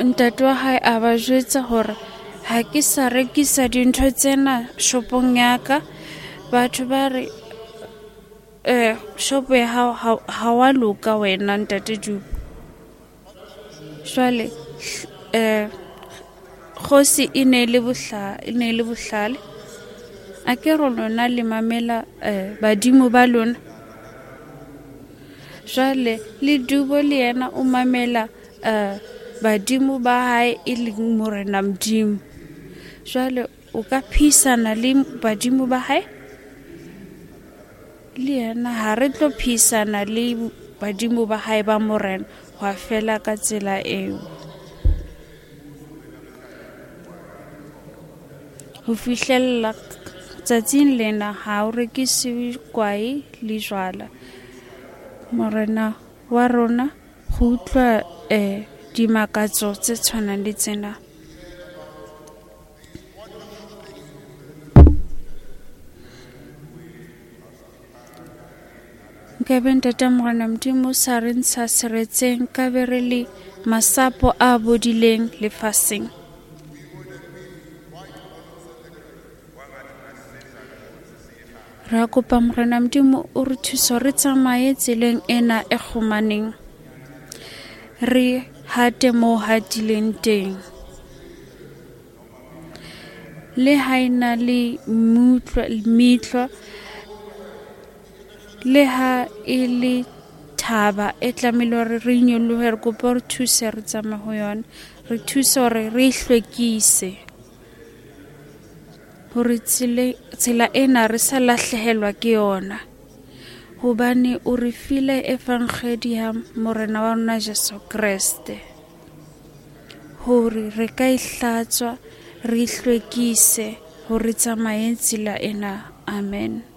Speaker 2: Ntate wa hae a ba jwetsa hore ha ke sa rekisa dintho tsena shopong ya ka. Batho ba re shopo ya hao ha wa loka wena ntate Dubo. Jwale kgosi e ne le bohlale. A ke re lona le mamela badimo ba lona. Jwale le Dubo le yena o mamela badimo ba hae e leng Morena Modimo. Jwale o ka phisana le badimo ba hae? Le yena ha re tlo phisana le badimo ba hae ba Morena, hwa fela ka tsela eo. Ho fihlella tsatsing lena ha o rekisiwe kwae le jwala. Morena wa rona go utlwa dimakatso tse tshwanang le tsena. Nkabe ntate Morena Modimo sa re ntsha seretseng, nkabe re le masapo a bodileng lefatsheng. Re kopa Morena Modimo o re thuse re tsamaye tseleng ena e kgomaneng, re hate mo hatileng teng. Le ha ena le metlwa, le ha e le thaba e tlamehile hore re nyolohe, re kopa re thuse re tsamaye ho yona, re thuse hore re hlwekise hore tsela ena re sa lahlehelwa ke yona, hobane o re file evangedi ya Morena wa rona Jesu Kreste hore re ka e hlatswa, re hlwekise hore tsamaye tsela ena. Amen.